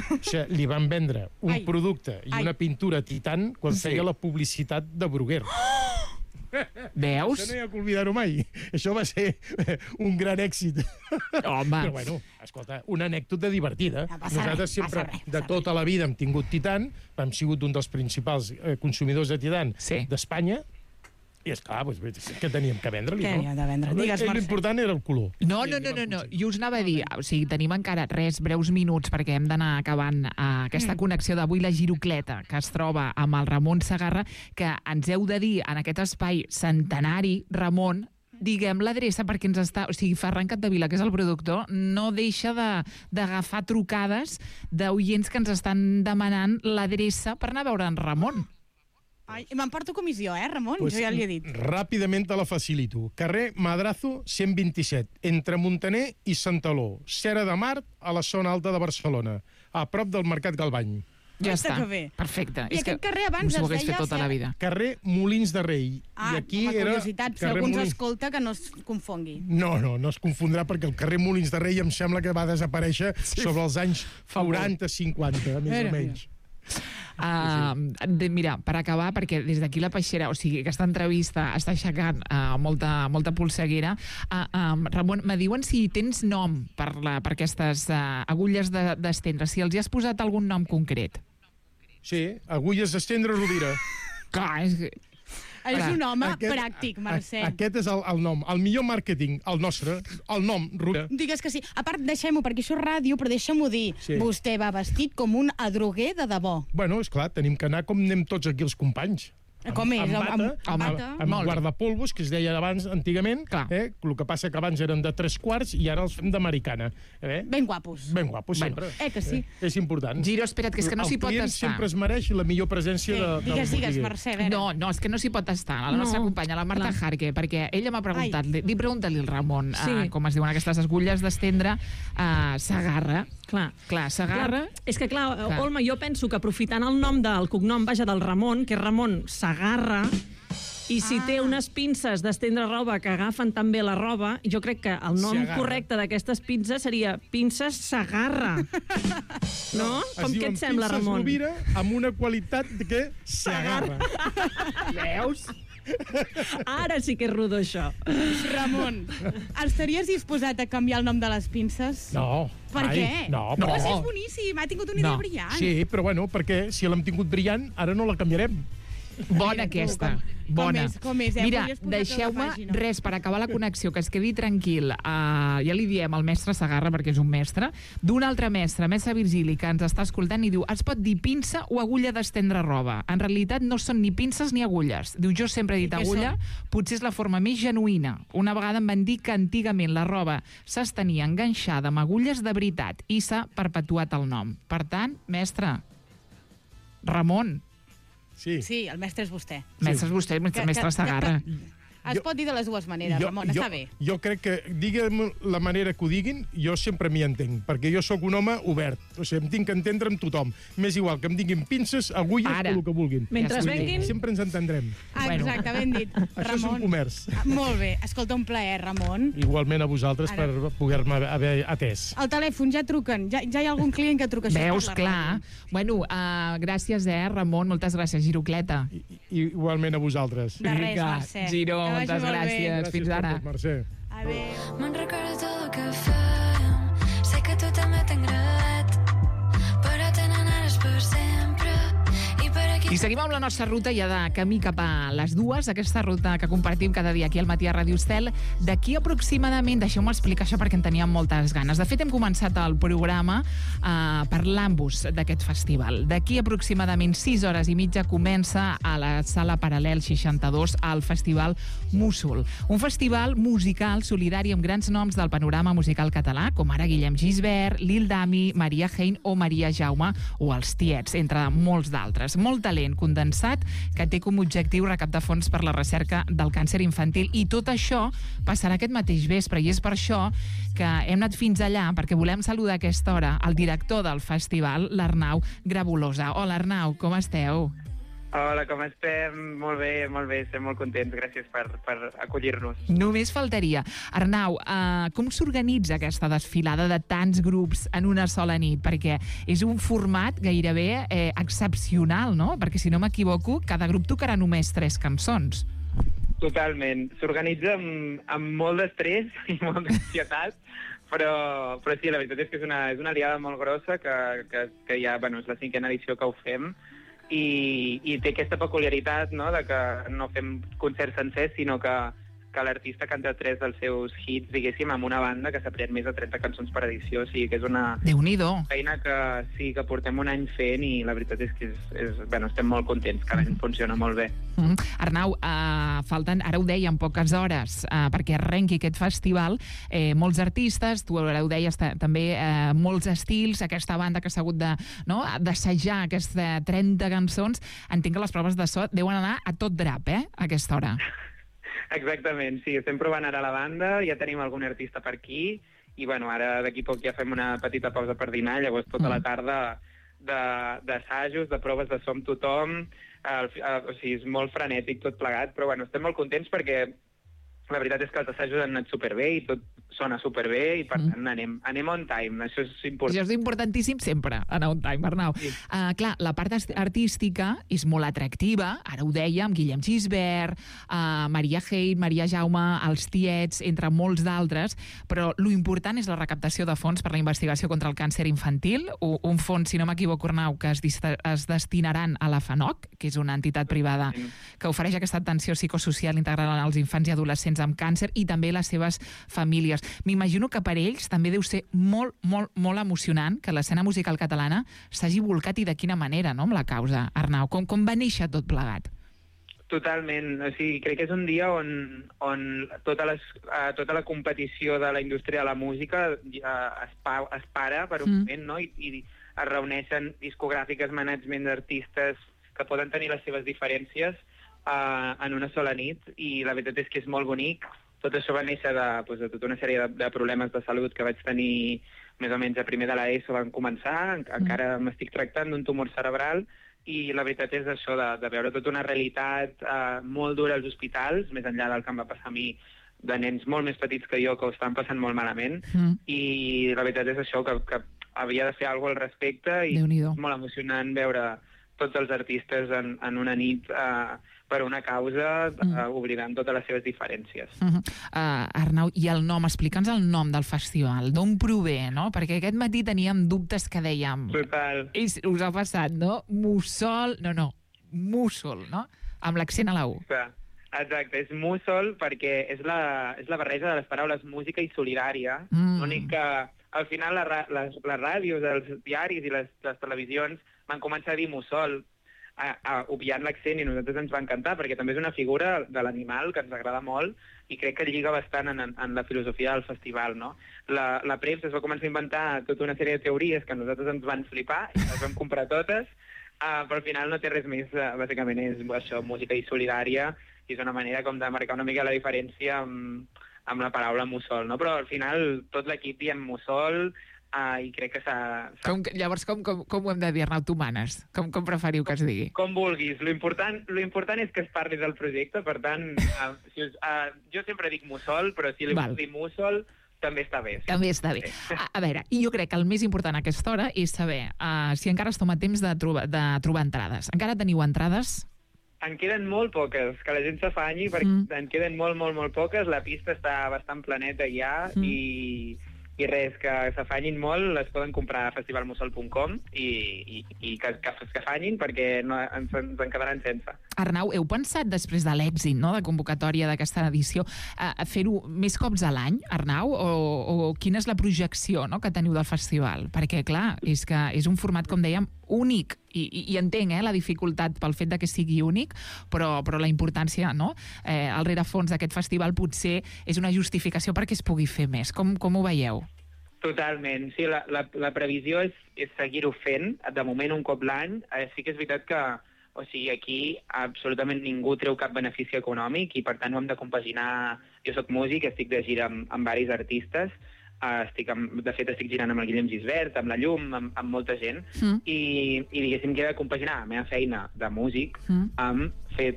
li van vendre un producte i una pintura Titan quan feia la publicitat de Bruguer. Veus? Això no hi ha que oblidar-ho mai. Això va ser un gran èxit. Home. Però, escolta, una anècdota divertida. Nosaltres sempre, de tota la vida, hem tingut Titan, hem sigut un dels principals consumidors de Titan d'Espanya, i esclar, què teníem que vendre-li, no? Què hi ha de vendre? Digues, Mercè. L'important era el color. No. Jo us anava a dir, tenim encara breus minuts, perquè hem d'anar acabant aquesta connexió d'avui, la Girocleta, que es troba amb el Ramon Segarra, que ens heu de dir en aquest espai centenari, Ramon, diguem l'adreça perquè ens està... O sigui, Ferran Capdevila, que és el productor, no deixa d'agafar trucades d'oients que ens estan demanant l'adreça per anar a veure en Ramon. M'emporto comissió, Ramon? Jo ja li he dit. Ràpidament te la facilito. Carrer Madrazo 127, entre Montaner i Santaló, Cera de Mar, a la zona alta de Barcelona, a prop del Mercat Galbany. Ja està, perfecte. I aquest carrer abans es deia... tota la vida. Carrer Molins de Rei. I aquí com a curiositat, si algú ens escolta, que no es confongui. No es confondrà, perquè el carrer Molins de Rei em sembla que va desaparèixer sobre els anys 40-50, més o menys. Mira, per acabar, perquè des d'aquí la Peixera, o sigui, aquesta entrevista està aixecant molta polseguera. Ramon, me diuen si tens nom per aquestes agulles d'estendre, si els hi has posat algun nom concret. Sí, agulles d'estendre Rovira. Clar, és un home pràctic, Mercè. Aquest és el nom. El millor màrqueting, el nostre, el nom, Rovira. Digues que sí. A part, deixem-ho, perquè això és ràdio, però deixem-ho dir. Vostè va vestit com un adroguer de debò. Bueno, esclar, tenim que anar com anem tots aquí els companys. Com és? Amb guardapolvos, que es deia abans, antigament. El que passa que abans eren de 3/4 i ara els fem d'americana. Ben guapos. Ben guapos, sempre. Que sí. És important. Giro, espera't, que és que no s'hi pot estar. El client sempre es mereix la millor presència del botiguer. Digues, Mercè, a veure. No, és que no s'hi pot estar. La nostra companya, la Marta Jarque, perquè ella m'ha preguntat, pregunta-li al Ramon, com es diuen aquestes agulles d'estendre, Segarra. Clar, Segarra... És que, clar, Olma, jo penso que aprofitant el nom del cognom, del Ramon, que és Ramon Segarra, i si té unes pinces d'estendre roba que agafen també la roba, jo crec que el nom correcte d'aquestes pinces seria Pinces Segarra. No? Com què et sembla, Ramon? Es diuen Pinces Rovira amb una qualitat que s'agarra. Veus? Ara sí que és rodó, això. Ramon, estaries disposat a canviar el nom de les pinces? No. Per què? No. És boníssim, ha tingut una idea brillant. Sí, però bueno, perquè si l'hem tingut brillant, ara no la canviarem. Bona aquesta. Bona. Com és? Mira, deixeu-me res per acabar la connexió, que es quedi tranquil. Ja li diem al mestre Segarra, perquè és un mestre, d'un altre mestre Virgili, que ens està escoltant i diu, es pot dir pinça o agulla d'estendre roba. En realitat no són ni pinces ni agulles. Diu, jo sempre he dit agulla, potser és la forma més genuïna. Una vegada em van dir que antigament la roba s'estenia enganxada amb agulles de veritat i s'ha perpetuat el nom. Per tant, mestre, Ramon. Sí, el mestre és vostè. Mestre és vostè, mestre Segarra. Es pot dir de les dues maneres, Ramon, està bé. Jo crec que, digue'm la manera que ho diguin, jo sempre m'hi entenc, perquè jo sóc un home obert. O sigui, em tinc que entendre amb tothom. M'és igual que em diguin pinces, agulles o el que vulguin. Mentre venguin... Sempre ens entendrem. Exacte, ben dit. Això és un comerç. Molt bé. Escolta, un plaer, Ramon. Igualment a vosaltres per poder-me haver atès. El telèfon, ja truquen. Ja hi ha algun client que truca això. Veus, clar. Bueno, gràcies, Ramon. Moltes gràcies, Girocleta. Igualment a vosaltres. De res, Mercè. Giro, moltes gràcies. Fins ara. Mercè. Adéu. Me'n recordo tot el que fèiem. Sé que tu també t'ha agradat, però tenen ares per sempre. I seguim amb la nostra ruta ja de camí cap a les dues, aquesta ruta que compartim cada dia aquí al Matí a Ràdio Estel. D'aquí aproximadament, deixeu-me explicar això perquè en teníem moltes ganes. De fet, hem començat el programa parlant-vos d'aquest festival. D'aquí aproximadament 6 hores i mitja comença a la Sala Paral·lel 62 el Festival Músol. Un festival musical solidari amb grans noms del panorama musical català, com ara Guillem Gisbert, Lil Dami, Maria Hein o Maria Jaume o els Tiets, entre molts d'altres. Molt talent condensat que té com a objectiu recaptar fons per la recerca del càncer infantil, i tot això passarà aquest mateix vespre, i és per això que hem anat fins allà, perquè volem saludar a aquesta hora el director del festival, l'Arnau Grabolosa. Hola, Arnau, com esteu? Hola, com estem? Molt bé, estem molt contents, gràcies per acollir-nos. Només faltaria. Arnau, com s'organitza aquesta desfilada de tants grups en una sola nit? Perquè és un format gairebé excepcional, no? Perquè, si no m'equivoco, cada grup tocarà només 3 cançons. Totalment. S'organitza amb molt d'estrès i molt d'ansietat, però sí, la veritat és que és una aliada molt grossa que ja, bueno, és la 5a edició que ho fem, i té aquesta peculiaritat, no?, de que no fem concerts sencers, sinó que l'artista canta 3 dels seus hits, diguéssim, amb una banda que s'ha pres més de 30 cançons per edició, o sigui que és una feina que portem un any fent, i la veritat és que bueno, estem molt contents, que l'any funciona molt bé. Arnau, falten, ara ho dèiem, poques hores perquè arrenqui aquest festival, molts artistes, tu ara ho deies també, molts estils, aquesta banda que s'ha hagut d'assajar aquestes 30 cançons. Entenc que les proves de so deuen anar a tot drap, a aquesta hora. Exactament, sí, estem provant ara la banda, ja tenim algun artista per aquí, i bueno, ara d'aquí poc ja fem una petita pausa per dinar, llavors tota la tarda d'assajos, de proves de so amb tothom, o sigui, és molt frenètic tot plegat, però bueno, estem molt contents perquè la veritat és que els assajos han anat superbé i tot sona superbé, i per tant anem on time, això és important. Això és importantíssim sempre, anar on time, Arnau. Sí. Clar, la part artística és molt atractiva, ara ho dèiem, Guillem Gisbert, Maria Hein, Maria Jaume, els Tiets, entre molts d'altres, però lo important és la recaptació de fons per la investigació contra el càncer infantil, un fons, si no m'equivoco, Arnau, que es destinaran a la FANOC, que és una entitat privada que ofereix aquesta atenció psicosocial integral als infants i adolescents amb càncer, i també les seves famílies. M'imagino que per ells també deu ser molt, molt, molt emocionant que l'escena musical catalana s'hagi volcat, i de quina manera, no?, amb la causa. Arnau, com va néixer tot plegat? Totalment. O sigui, crec que és un dia on tota la competició de la indústria de la música es para per un moment, no? I es reuneixen discogràfiques, management d'artistes que poden tenir les seves diferències en una sola nit, i la veritat és que és molt bonic. Tot això va néixer de tota una sèrie de problemes de salut que vaig tenir més o menys a primer de l'ESO van començar. Encara m'estic tractant d'un tumor cerebral, i la veritat és això, de veure tota una realitat molt dura als hospitals, més enllà del que em va passar a mi, de nens molt més petits que jo que ho estan passant molt malament, i la veritat és això, que havia de fer alguna cosa al respecte, i és molt emocionant veure tots els artistes en una nit per una causa, oblidant totes les seves diferències. Arnau, i el nom, explica'ns el nom del festival, d'on prové, no? Perquè aquest matí teníem dubtes que dèiem... Total. Us ha passat, no? Mussol, Mussol, no? Amb l'accent a la U. Exacte, és Mussol perquè és la barreja de les paraules música i solidària. L'únic que al final les ràdios, els diaris i les televisions van començar a dir Mussol, obviant l'accent, i a nosaltres ens va encantar perquè també és una figura de l'animal que ens agrada molt i crec que lliga bastant en la filosofia del festival, no? La premsa es va començar a inventar tota una sèrie de teories que a nosaltres ens van flipar i les vam comprar totes, però al final no té res més, bàsicament és això, música i solidària, i és una manera com de marcar una mica la diferència amb la paraula mussol, no? Però al final tot l'equip diem mussol, i crec que Llavors, com ho hem de dir, Arnau? Tu manes. Com preferiu que es digui? Com vulguis. Lo important és que es parli del projecte, per tant, jo sempre dic mussol, però si li vols dir mussol, també està bé. Sí. També està bé. A veure, i jo crec que el més important a aquesta hora és saber si encara es toma temps de trobar entrades. Encara teniu entrades? En queden molt poques, que la gent s'afanyi, perquè en queden molt, molt, molt poques. La pista està bastant planeta ja, i res, que s'afanyin molt, les poden comprar a festivalmussol.com i que s'afanyin perquè ens en quedaran sense. Arnau, heu pensat després de l'èxit, no?, de convocatòria d'aquesta edició fer-ho més cops a l'any, Arnau? O quina és la projecció, no?, que teniu del festival? Perquè, clar, és que és un format, com dèiem, únic, i entenc la dificultat pel fet de que sigui únic, però la importància, no?, el rerefons d'aquest festival potser és una justificació perquè es pugui fer més. Com ho veieu? Totalment. Sí, la previsió és seguir-ho fent, de moment un cop l'any. Sí que és veritat que aquí absolutament ningú treu cap benefici econòmic i per tant ho hem de compaginar. Jo soc músic, estic de gira amb varis artistes, de fet estic girant amb el Guillem Gisbert, amb la Llum, amb molta gent, i diguéssim que he de compaginar la meva feina de músic amb fer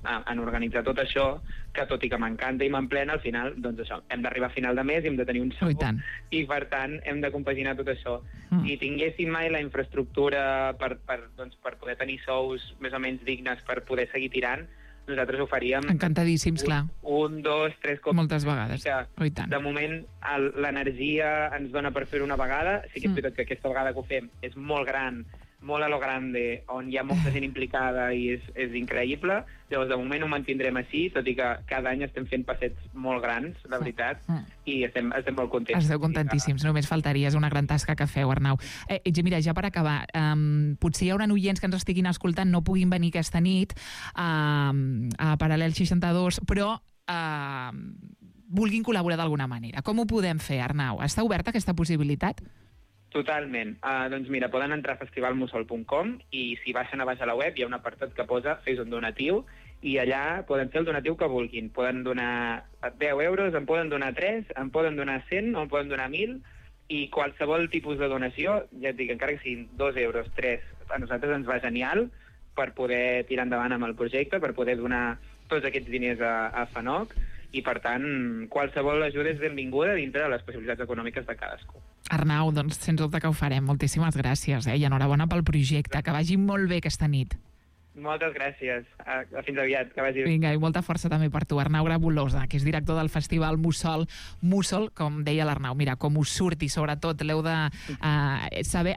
en organitzar tot això, que tot i que m'encanta i m'emplena, al final, doncs això, hem d'arribar a final de mes i hem de tenir un sou, i per tant hem de compaginar tot això. Si tinguéssim mai la infraestructura per poder tenir sous més o menys dignes per poder seguir tirant, nosaltres ho faríem... Encantadíssims, clar. 1, 2, 3 cops. Moltes vegades. De moment, l'energia ens dona per fer-ho una vegada. Sí que és veritat que aquesta vegada que ho fem és molt gran, molt a lo grande, on hi ha molta gent implicada i és increïble. Llavors, de moment ho mantindrem així, tot i que cada any estem fent passets molt grans, la veritat, i estem molt contents. Esteu contentíssims, només faltaria, és una gran tasca que feu, Arnau. Mira, ja per acabar, potser hi haurà oients que ens estiguin escoltant, no puguin venir aquesta nit a Paral·lel 62, però vulguin col·laborar d'alguna manera. Com ho podem fer, Arnau? Està oberta aquesta possibilitat? Totalment. Doncs mira, poden entrar a festivalmussol.com i si baixen a baix a la web hi ha un apartat que posa fes un donatiu i allà poden fer el donatiu que vulguin. Poden donar 10 euros, en poden donar 3, en poden donar 100, en poden donar 1.000 i qualsevol tipus de donació, ja et dic, encara que siguin 2 euros, 3, a nosaltres ens va genial per poder tirar endavant amb el projecte, per poder donar tots aquests diners a FANOC i, per tant, qualsevol ajuda és benvinguda dintre de les possibilitats econòmiques de cadascú. Arnau, doncs, sens dubte que ho farem. Moltíssimes gràcies, i enhorabona pel projecte. Que vagi molt bé aquesta nit. Moltes gràcies. Fins aviat. Que vagi bé. Vinga, i molta força també per tu. Arnau Grabolosa, que és director del festival Mussol. Mussol, com deia l'Arnau, mira, com us surti, sobretot, l'heu de saber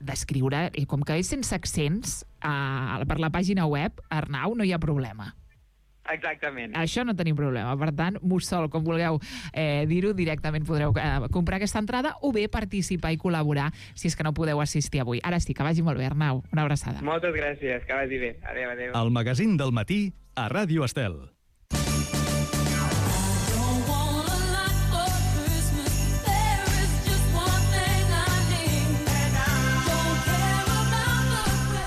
descriure, com que és sense accents, per la pàgina web, Arnau, no hi ha problema. Exactament. Això no tenim problema. Per tant, Mussol, com vulgueu dir-ho, directament podreu comprar aquesta entrada o bé participar i col·laborar si és que no podeu assistir avui. Ara sí, que vagi molt bé, Arnau. Una abraçada. Moltes gràcies, que vagi bé. Adéu, adéu. El magazín del matí a Ràdio Estel.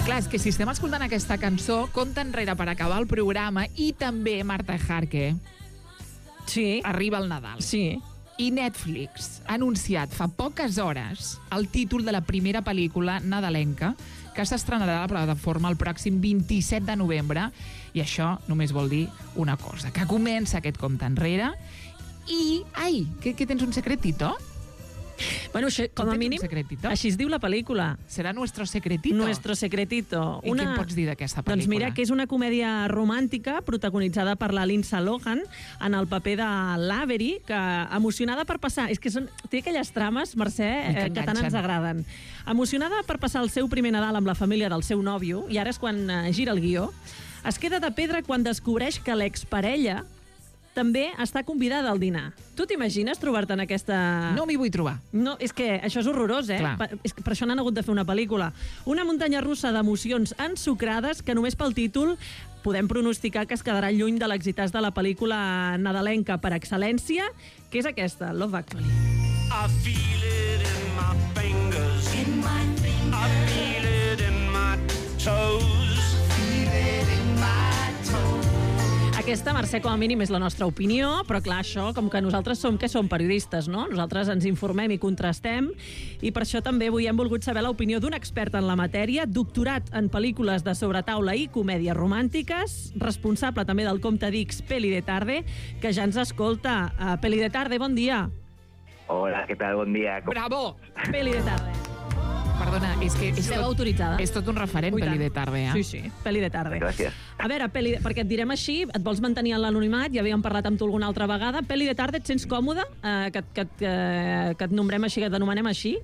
Clar, és que si estem escoltant aquesta cançó, compta enrere per acabar el programa i també Marta Jarque. Sí. Arriba el Nadal. Sí. I Netflix ha anunciat fa poques hores el títol de la primera pel·lícula nadalenca que s'estrenarà a la plataforma el pròxim 27 de novembre. I això només vol dir una cosa, que comença aquest compte enrere i... Ai, que tens un secretito? Bueno, com a mínim, així es diu la pel·lícula. Serà Nuestro Secretito? Nuestro Secretito. I què em pots dir d'aquesta pel·lícula? Doncs mira, que és una comèdia romàntica protagonitzada per la Lindsay Lohan en el paper de l'Avery, que emocionada per passar... És que té aquelles trames, Mercè, que tant ens agraden. Emocionada per passar el seu primer Nadal amb la família del seu nòvio, i ara és quan gira el guió, es queda de pedra quan descobreix que l'exparella també està convidada al dinar. Tu t'imagines trobar-te en aquesta... No m'hi vull trobar. No, és que això és horrorós, eh? Per això n'han hagut de fer una pel·lícula. Una muntanya russa d'emocions ensucrades que només pel títol podem pronosticar que es quedarà lluny de l'exitàs de la pel·lícula nadalenca per excel·lència, que és aquesta, Love Actually. I feel it in my fingers. In my fingers. I feel it in my toes. Feel it in my toes. Aquesta, Mercè, com a mínim és la nostra opinió, però clar, això, com que nosaltres som periodistes, no? Nosaltres ens informem i contrastem, i per això també avui hem volgut saber l'opinió d'un expert en la matèria, doctorat en pel·lícules de sobretaula i comèdies romàntiques, responsable també del compte d'X Peli de Tarde, que ja ens escolta. Peli de Tarde, bon dia. Hola, què tal? Bon dia. Bravo! Peli de Tarde. Perdona, és que autoritzada. És tot un referent, Peli de Tarde, eh? Sí, Peli de Tarde. Gràcies. A veure, perquè et direm així, et vols mantenir en l'anonimat, ja havíem parlat amb tu alguna altra vegada. Peli de Tarde, et sents còmode que et nombrem així, que t'anomenem així?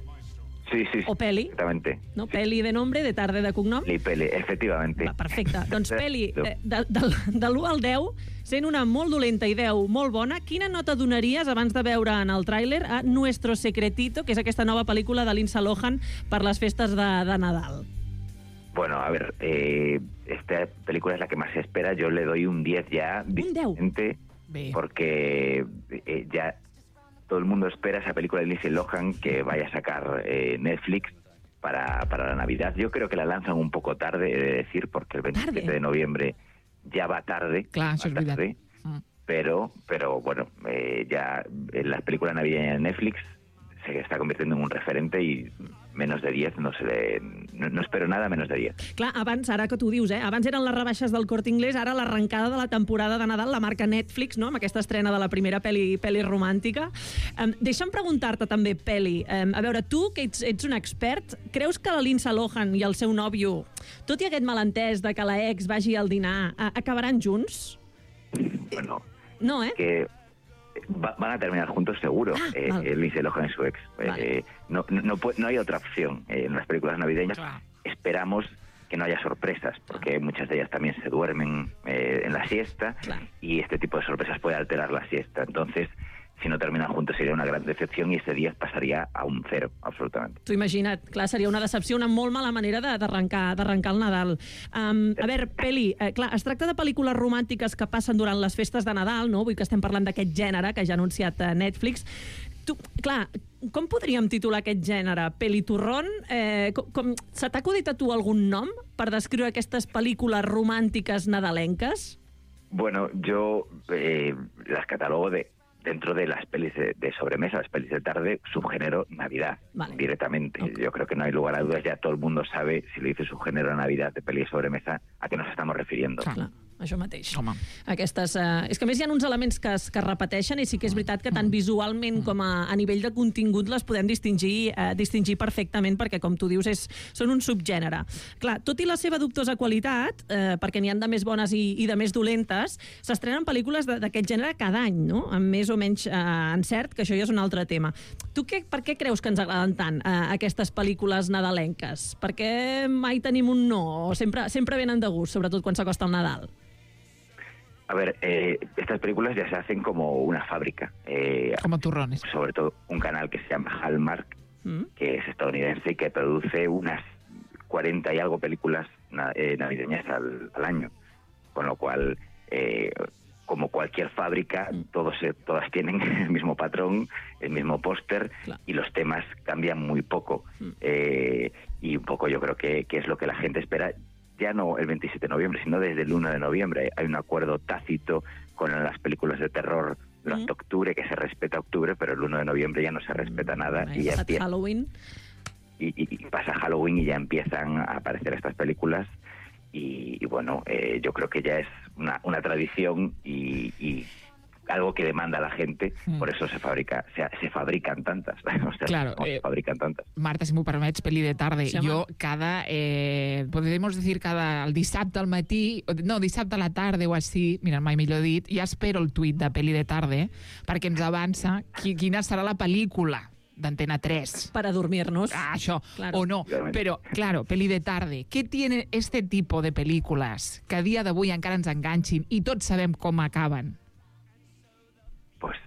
Sí. O Peli. Exactamente. No? Peli de nombre, de Tarde de cognom? Peli, efectivamente. Va, perfecte. Doncs Peli, de l'1 al 10, sent una molt dolenta i 10 molt bona, quina nota donaries abans de veure en el tràiler a Nuestro Secretito, que és aquesta nova pel·lícula de Lindsay Lohan per les festes de Nadal? Bueno, a ver, esta película es la que más se espera. Yo le doy un 10 ya. ¿Un 10? Porque ya todo el mundo espera esa película de Lindsay Lohan que vaya a sacar Netflix para la Navidad. Yo creo que la lanzan un poco tarde, he de decir, porque el 27 de noviembre ya va tarde. Claro, eso es verdad. Pero bueno, ya las películas navideñas de Netflix se está convirtiendo en un referente i menos de 10 no espero nada menos de 10. Clar, abans, ara que tu dius, abans eren les rebaixes del Corte Inglés, ara l'arrencada de la temporada de Nadal, la marca Netflix, no?, amb aquesta estrena de la primera pel·li romàntica. Deixa'm preguntar-te també, Peli, a veure, tu, que ets un expert, creus que la Lindsay Lohan i el seu nòvio, tot i aquest malentès de que la ex vagi al dinar, acabaran junts? Bueno, no, que van a terminar juntos seguro, Lindsay Lohan y su ex. Vale. No hay otra opción en las películas navideñas. Claro. Esperamos que no haya sorpresas, porque muchas de ellas también se duermen en la siesta, claro, y este tipo de sorpresas puede alterar la siesta. Entonces, si no terminan juntos seria una gran decepció i este 10 passaria a un 0, absolutament. T'ho imagina't, clar, seria una decepció, una molt mala manera d'arrencar el Nadal. A veure, Peli, clar, es tracta de pel·lícules romàntiques que passen durant les festes de Nadal, no? Vull que estem parlant d'aquest gènere que ja ha anunciat Netflix. Tu, clar, com podríem titular aquest gènere? Peliturrón? Se t'ha acudit a tu algun nom per descriure aquestes pel·lícules romàntiques nadalenques? Bueno, yo las catalogo dentro de las pelis de sobremesa, las pelis de tarde, subgénero Navidad, vale, directamente. Okay. Yo creo que no hay lugar a dudas, ya todo el mundo sabe, si le dice subgénero Navidad de peli de sobremesa, a qué nos estamos refiriendo. Clar, això mateix. Home. Aquestes, és que a més hi ha uns elements que es repeteixen i sí que és veritat que tant visualment com a nivell de contingut les podem distingir perfectament, perquè, com tu dius, són un subgènere. Clar, tot i la seva dubtosa qualitat, perquè n'hi ha de més bones i de més dolentes, s'estrenen pel·lícules d'aquest gènere cada any, no?, amb més o menys encert, que això ja és un altre tema. Tu per què creus que ens agraden tant aquestes pel·lícules nadalenques? Per què mai tenim un no? O sempre venen de gust, sobretot quan s'acosta el Nadal? A ver, estas películas ya se hacen como una fábrica. Como turrones. Sobre todo un canal que se llama Hallmark, que es estadounidense y que produce unas 40 y algo películas navideñas al año. Con lo cual, como cualquier fábrica, todas tienen el mismo patrón, el mismo póster, y los temas cambian muy poco. Y un poco yo creo que es lo que la gente espera, ya no el 27 de noviembre, sino desde el 1 de noviembre. Hay un acuerdo tácito con las películas de terror durante octubre, que se respeta octubre, pero el 1 de noviembre ya no se respeta nada. Y ya empieza Halloween. Y pasa Halloween y ya empiezan a aparecer estas películas. Y bueno, yo creo que ya es una tradición y algo que demanda la gente, por eso se fabrican tantas. O sea, claro, se fabrican tantas. Marta, si m'ho permets, Peli de tarde. Sí, jo podemos decir el dissabte al matí, no, dissabte a la tarda o així, mira, mai millor dit, ja espero el tuit de Peli de tarde perquè ens avança quina serà la pel·lícula d'Antena 3. Para dormirnos. Això, claro. O no. Pero, claro, Peli de tarde. ¿Qué tiene este tipo de películas que a dia d'avui encara ens enganxin i tots sabem com acaben? Pues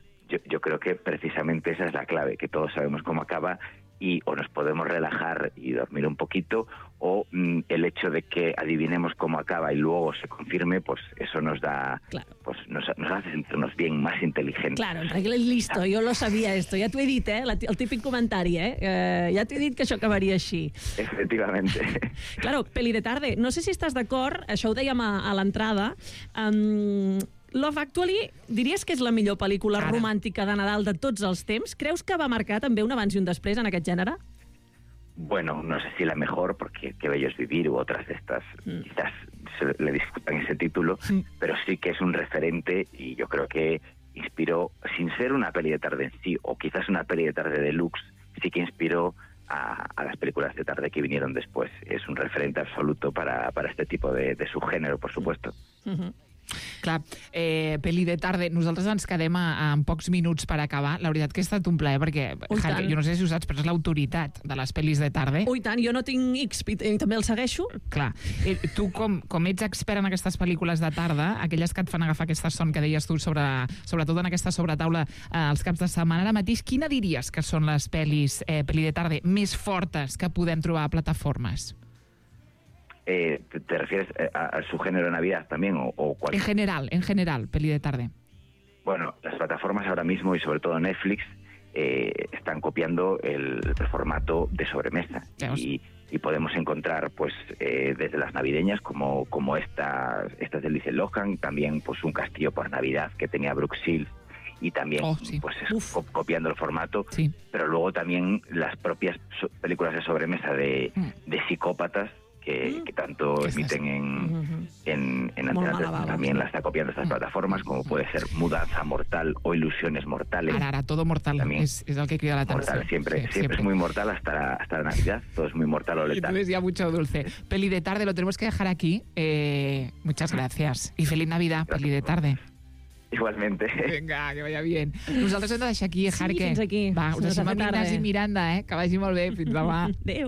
yo creo que precisamente esa es la clave, que todos sabemos cómo acaba y o nos podemos relajar y dormir un poquito, o el hecho de que adivinemos cómo acaba y luego se confirme, pues eso nos da, pues nos hace sentirnos bien, más inteligentes. Claro, listo, jo lo sabia esto, ja t'ho he dit, el típic comentari, ja t'ho he dit que això acabaria així. Efectivamente. Claro, Peli de tarde, no sé si estàs d'acord, això ho dèiem a l'entrada, Love Actually, diries que és la millor pel·lícula romàntica de Nadal de tots els temps? Creus que va marcar també un abans i un després en aquest gènere? Bueno, no sé si la mejor, porque Qué bello es vivir u otras de estas quizás le discutan ese título, pero sí que es un referente y yo creo que inspiró, sin ser una peli de tarde en sí, o quizás una peli de tarde deluxe, sí que inspiró a las películas de tarde que vinieron después. Es un referente absoluto para este tipo de subgénero, por supuesto. Clar, Peli de tarde, nosaltres ens quedem en pocs minuts per acabar. La veritat que ha estat un plaer, perquè Jaime, jo no sé si ho saps, però és l'autoritat de les pel·lis de tarde. Ui, tant, jo no tinc X, també el segueixo. Clar, tu com ets expert en aquestes pel·lícules de tarda, aquelles que et fan agafar aquesta son que deies tu, sobretot en aquesta sobretaula els caps de setmana, ara mateix, quina diries que són les pel·lis Peli de tarde més fortes que podem trobar a plataformes? ¿Te refieres a su género de Navidad también? O en general, Peli de tarde. Bueno, las plataformas ahora mismo y sobre todo Netflix están copiando el formato de sobremesa y podemos encontrar pues desde las navideñas como estas de Lindsay Lohan, también pues Un castillo por Navidad que tenía Brooke Shields y también pues copiando el formato, pero luego también las propias películas de sobremesa de psicópatas que tanto emiten en Antena 3, también la está copiando estas plataformas, como puede ser Mudanza Mortal o Ilusiones Mortales. Ara, todo mortal, es el que crida la atención. Mortal, siempre es muy mortal hasta la Navidad, todo es muy mortal o letal. Entonces ya mucho dulce. Peli de tarde, lo tenemos que dejar aquí. Muchas gracias y feliz Navidad, Peli de tarde. Igualmente. Vinga, que vaya bien. Nosaltres hem de deixar aquí, Jarque. Sí, fins aquí. Va, us deixem amb Ignasi Miranda, que vagi molt bé. Fins demà. Adéu.